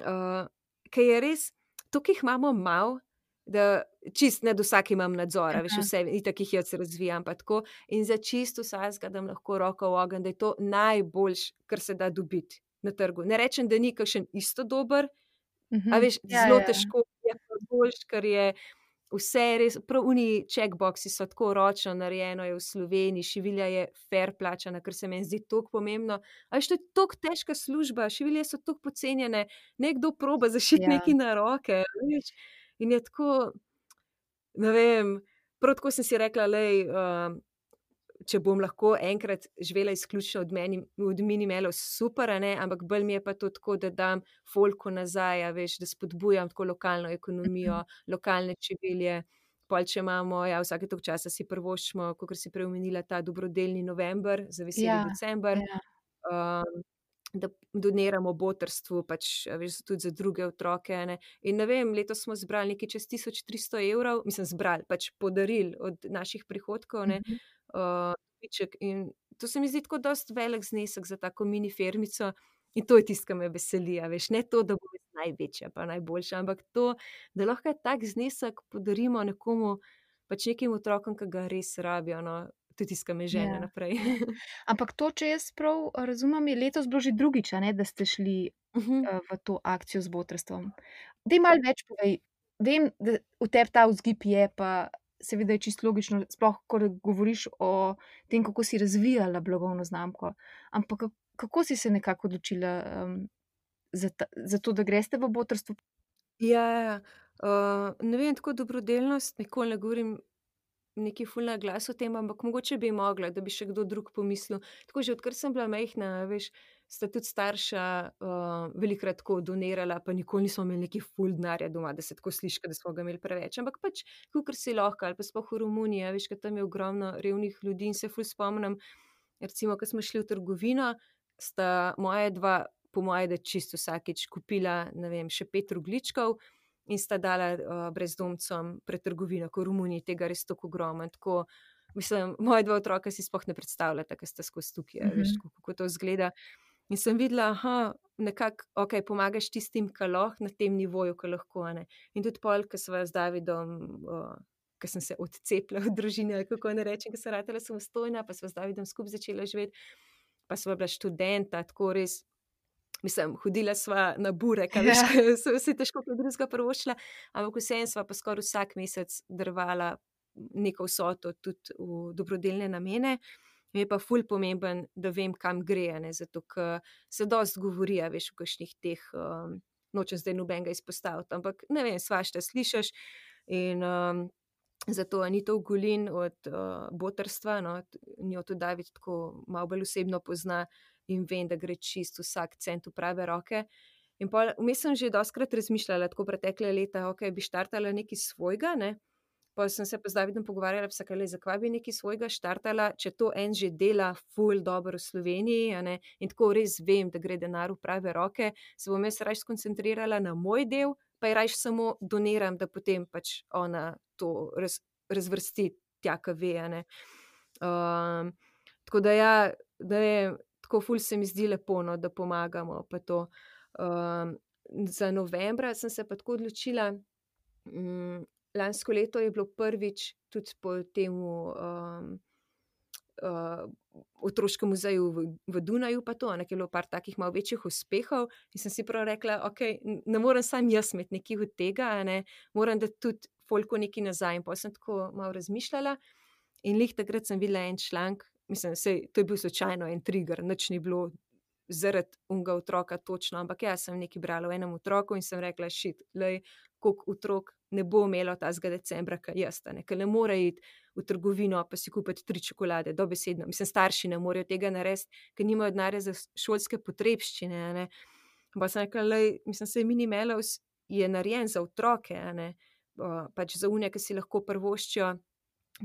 uh, ki je res, to, ki jih imamo malo, da čist nad vsakim imam nadzora, veš, Aha. vse, itak jih jaz razvijam, pa tako, in za čisto vsakega dam lahko roko v ogenj, da je to najboljš, kar se da dobiti na trgu. Ne rečem, da ni kakšen isto dober, Mhm. a veš, Ja, zelo ja. težko je pa boljš, ker je vse res, prav oni checkboxi so tako ročno narejeno, je v Sloveniji, šivilja je fair plačana, kar se meni zdi toliko pomembno. A veš, to je toliko težka služba, šivilje so toliko pocenjene, nekdo proba zašiti Ja. nekaj na roke, veš, in je tako, ne vem, prav tako sem si rekla, lej, uh, če bom lahko enkrat živela izključno od, meni, od minimelov, super, a ne, ampak bolj mi je pa to tako, da dam folku nazaj, a veš, da spodbujam tako lokalno ekonomijo, lokalne čevelje, pol če imamo, ja, vsake toliko časa si privoščimo, kakor si prej omenila, ta dobrodelni november, za veseli Ja, december, ja. um, da doniramo botrstvu, pač, a veš, tudi za druge otroke, a ne. In ne vem, letos smo zbrali nekaj čez tisoč tristo evrov, mislim, zbrali, pač podarili od naših prihodkov, ne, Mhm. uh, dobiček. In to se mi zdi tako dosti velik znesek za tako mini firmico in to je tisto, kar me veseli, a veš, ne to, da bo res največja pa najboljša, ampak to, da lahko tak znesek podarimo nekomu, pač nekim otrokom, ki ga res rabijo, no, to je tisto, kar me žene Ja, naprej. ja. Ampak to, če jaz prav razumem, je letos bilo že drugič, a ne, da ste šli Mhm. uh, v to akcijo z botrstvom. Daj malo več povej. Vem, da v tebi ta vzgib je, pa seveda je čisto logično, sploh ko govoriš o tem, kako si razvijala blagovno znamko. Ampak kako, kako si se nekako odločila um, za, ta, za to, da greste v botrstvo? Ja, ja, ja. Uh, ne vem, tako dobrodelnost, nikoli ne govorim neki ful na glas o tem, ampak mogoče bi mogla, da bi še kdo drug pomislil. Tako že odkar sem bila majhna, veš, sta tudi starša uh, velikokrat tako donirala, pa nikoli nismo imeli neki ful denarja doma, da se tako sliši, da smo ga imeli preveč. Ampak pač, kakor si lahko, ali pa sploh v Romuniji, a veš, ker tam je ogromno revnih ljudi in se ful spomnim, recimo, ko smo šli v trgovino, sta moja dva, po moje, da čisto vsakič kupila, ne vem, še pet rogljičkov, in sta dala uh, brezdomcem pred trgovino, ko v Romuniji tega res tako ogromno. Tako, mislim, moja dva otroka si sploh ne predstavljata, ker sta skozi tukaj, uh -huh. Veš, kako, kako to izgleda. In sem videla, aha, nekako, ok, pomagaš tistim, ki lahko, na tem nivoju, ki lahko, ne. In tudi pol, ko sva z Davidom, uh, ko sem se odcepila od družine, ali kako ne rečem, ko sem ratala samostojna, pa sva z Davidom skupaj začela živeti, pa sva bila študenta, tako res. Mislim, hodila sva na burek, a veš, Ja. ker so vsi težko kaj drugega privoščila, ampak vseeno sva pa skoraj vsak mesec darovala neko vsoto tudi v dobrodelne namene. Mi je pa ful pomemben, da vem, kam gre, a ne, zato ker se dosti govori, a veš, v kakšnih teh, um, nočem zdaj nobenega izpostaviti, ampak ne vem, svašta slišiš in um, zato Anita Ugolin od uh, botrstva, no, t- njo tudi David tako malo bolj osebno pozna in vem, da gre čisto vsak cent v prave roke. In pol, vmes sem že dostikrat razmišljala, tako pretekle leta, ok, bi štartala nekaj svojega, ne. Pa sem se pa z Davidom pogovarjala, pa le, zakaj bi nekaj svojega štartala, če to en že dela ful dobro v Sloveniji, a ne, in tako res vem, da gre denar v prave roke, se bom jaz raje skoncentrirala na moj del, pa je raje samo doniram, da potem pač ona to raz, razvrsti tja, ka ve, a ne. Um, tako da ja, da je, tako ful se mi zdi lepo, no, da pomagamo pa to. Um, za novembra sem se pa tako odločila, um, lansko leto je bilo prvič tudi po temu um, uh, otroškem muzeju v, v Dunaju pa to, ne, ki je bilo par takih malo večjih uspehov in sem si prav rekla, ok, ne morem sam jaz imeti nekih od tega, ne, moram dati tudi folku nekaj nazaj in potem sem tako malo razmišljala in lih takrat sem videla en članek, mislim, sej, to je bil slučajno en trigger, nič ni bilo zaradi unga otroka točno, ampak jaz sem nekaj brala o enem otroku in sem rekla, shit, lej, koliko otrok ne bo imelo tazga decembra, kaj jaz, ne, ker ne more iti v trgovino pa si kupiti tri čokolade, dobesedno, mislim, starši ne morejo tega narediti, ker nimajo denarja za šolske potrebščine, ne, pa sem rekla, lej, mislim, sej Mini Melows je narejen za otroke, ne, pač za unje, ki si lahko privoščijo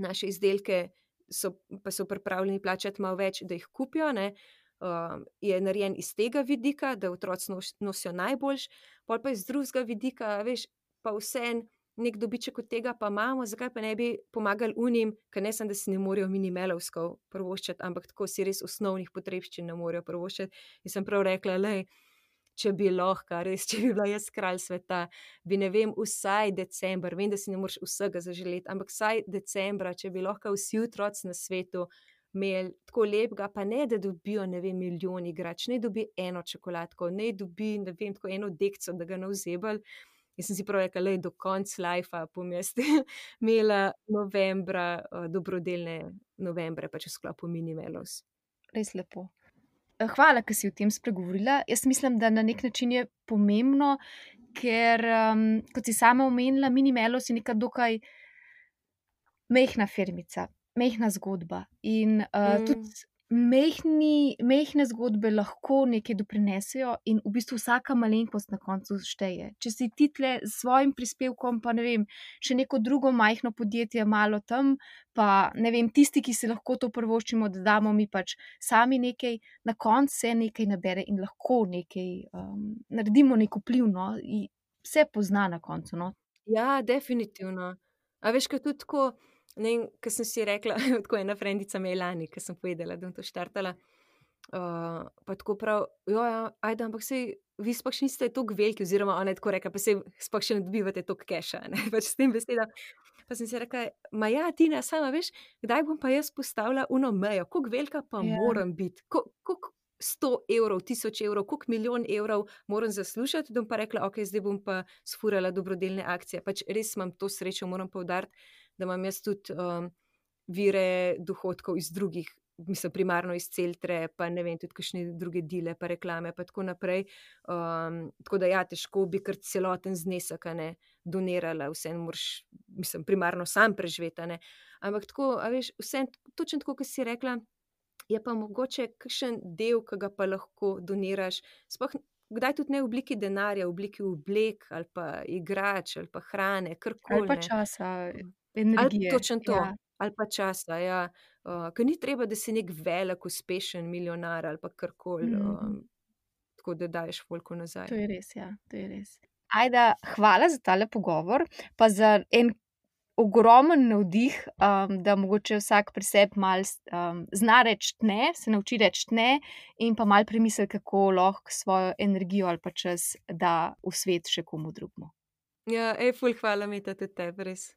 naše izdelke, so, pa so pripravljeni plačati malo več, da jih kupijo, ne, uh, je narejen iz tega vidika, da otroci nosijo najboljš, pol pa iz drugega vidika, veš, pa vseeno nek dobiček od tega pa imamo, zakaj pa ne bi pomagali unim, ker ne sem, da si ne morejo Mini Mellowskov privoščiti, ampak tako si res osnovnih potrebščin ne morejo privoščiti. In sem prav rekla, lej, če bi lahko, res, če bi bila jaz kralj sveta, bi, ne vem, vsaj december, vem, da si ne moreš vsega zaželeti, ampak vsaj decembra, če bi lahko vsi otroci na svetu imeli tako lepega, pa ne, da dobijo, ne vem, milijon igrač, ne dobi eno čokoladko, ne dobi, ne vem, tako eno dekco, da ga navzebali. In sem si prav rekla, lej, do konca lajfa bom jaz imela novembra, uh, dobrodelne novembre, pač v sklopu Mini Melows. Res lepo. Hvala, ker si o tem spregovorila. Jaz mislim, da na nek način je pomembno, ker, um, kot si sama omenila, Mini Melows je neka dokaj mehna firmica, mehna zgodba in uh, Mm. tudi mehni, mehne zgodbe lahko nekaj doprinesejo in v bistvu vsaka malenkost na koncu šteje. Če si ti tle s svojim prispevkom, pa ne vem, še neko drugo majhno podjetje malo tam, pa ne vem, tisti, ki si lahko to privoščimo, da damo mi pač sami nekaj, na koncu se nekaj nabere in lahko nekaj um, naredimo nek vpliv, no, in vse pozna na koncu, no. Ja, definitivno. A veš, kaj tudi tako, ne vem, ker sem si rekla, tako ena frendica me je lani, ker sem povedala, da bom to štartala, uh, pa tako prav, jo, ja, ajde, ampak sej, vi sploh še niste toliko veliki, oziroma ona je tako rekla, pa sej sploh še ne dobivate toliko keša, ne, pač s tem besedam. Pa sem si rekla, ma ja, Tina, sama veš, kdaj bom pa jaz postavila uno mejo, koliko velika pa Ja. moram biti, Ko- koliko sto evrov, tisoč evrov, koliko milijon evrov moram zaslužiti, da bom pa rekla, ok, zdaj bom pa sfurala dobrodelne akcije. Pač res imam to srečo, moram poudariti, da imam jaz tudi um, vire dohodkov iz drugih, mislim, primarno iz Celtre, pa ne vem, tudi kakšne druge dile, pa reklame, pa tako naprej. Um, tako da ja, težko bi kar celoten znesek, a ne, donirala, vseeno moraš, mislim, primarno sam preživeti, a ne. Ampak tako, a veš, vseeno, točno tako, kot si rekla, je pa mogoče kakšen del, ki ga pa lahko doniraš, sploh kdaj tudi ne v obliki denarja, v obliki oblek ali pa igrač ali pa hrane, Ali karkoli, pa ne. časa, Ali energije. točno to, Ja. ali pa časa, ja. Uh, ker ni treba, da si nek velik, uspešen milijonar ali pa karkoli, Mhm. um, tako da daješ folku nazaj. To je res, ja, to je res. Ajda, hvala za tale pogovor, pa za en ogromen navdih, um, da mogoče vsak pri sebi malo um, zna reči ne, se nauči reči ne in pa malo premisli, kako lahko svojo energijo ali pa čas da v svet še komu drugemu. Ja, ej, ful hvala, Meta, tudi tebi, res.